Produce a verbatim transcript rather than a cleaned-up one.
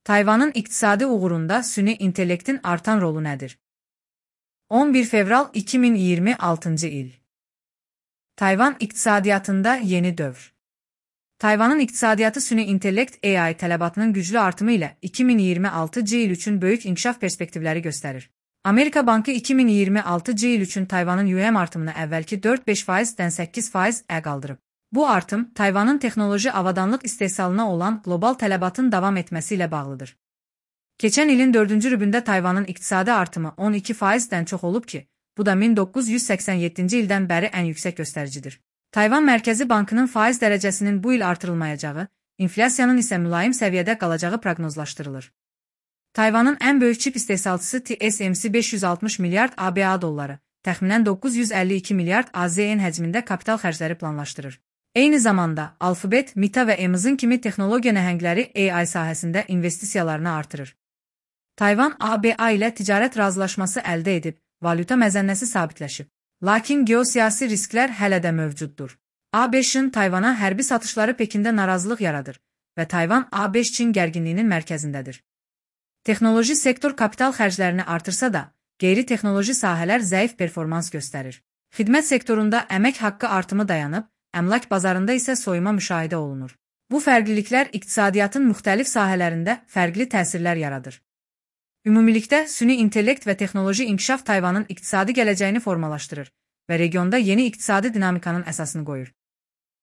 Tayvanın iqtisadi uğurunda süni intellektin artan rolu nədir? on bir fevral iki min iyirmi altıncı il. Tayvan iqtisadiyyatında yeni dövr. Tayvanın iqtisadiyyatı süni intellekt A I tələbatının güclü artımı ilə iki min iyirmi altıncı il üçün böyük inkişaf perspektivləri göstərir. Amerika Bankı iki min iyirmi altıncı il üçün Tayvanın U M artımını əvvəlki dörd beş faizdən səkkiz faiz-ə qaldırıb. Bu artım, Tayvanın texnoloji avadanlıq istehsalına olan qlobal tələbatın davam etməsi ilə bağlıdır. Keçən ilin dördüncü rübündə Tayvanın iqtisadi artımı on iki faizdən çox olub ki, bu da min doqquz yüz səksən yeddinci ildən bəri ən yüksək göstəricidir. Tayvan Mərkəzi Bankının faiz dərəcəsinin bu il artırılmayacağı, inflyasiyanın isə mülayim səviyyədə qalacağı proqnozlaşdırılır. Tayvanın ən böyük çip istehsalçısı T S M C beş yüz altmış milyard A B A dolları, təxminən doqquz yüz əlli iki milyard A Z N həcmində kapital xərcləri planlaşdırır. Eyni zamanda, Alphabet, Meta və Amazon kimi texnologiya nəhəngləri A I sahəsində investisiyalarını artırır. Tayvan A B A ilə ticarət razılaşması əldə edib, valyuta məzənnəsi sabitləşib. Lakin geosiyasi risklər hələ də mövcuddur. A B Ş-ın Tayvana hərbi satışları Pekində narazılıq yaradır və Tayvan A B Ş-Çin gərginliyinin mərkəzindədir. Texnoloji sektor kapital xərclərini artırsa da, qeyri-texnoloji sahələr zəif performans göstərir. Xidmət sektorunda əmək haqqı artımı dayanıb, əmlak bazarında isə soyuma müşahidə olunur. Bu fərqliliklər iqtisadiyyatın müxtəlif sahələrində fərqli təsirlər yaradır. Ümumilikdə, süni intellekt və texnoloji inkişaf Tayvanın iqtisadi gələcəyini formalaşdırır və regionda yeni iqtisadi dinamikanın əsasını qoyur.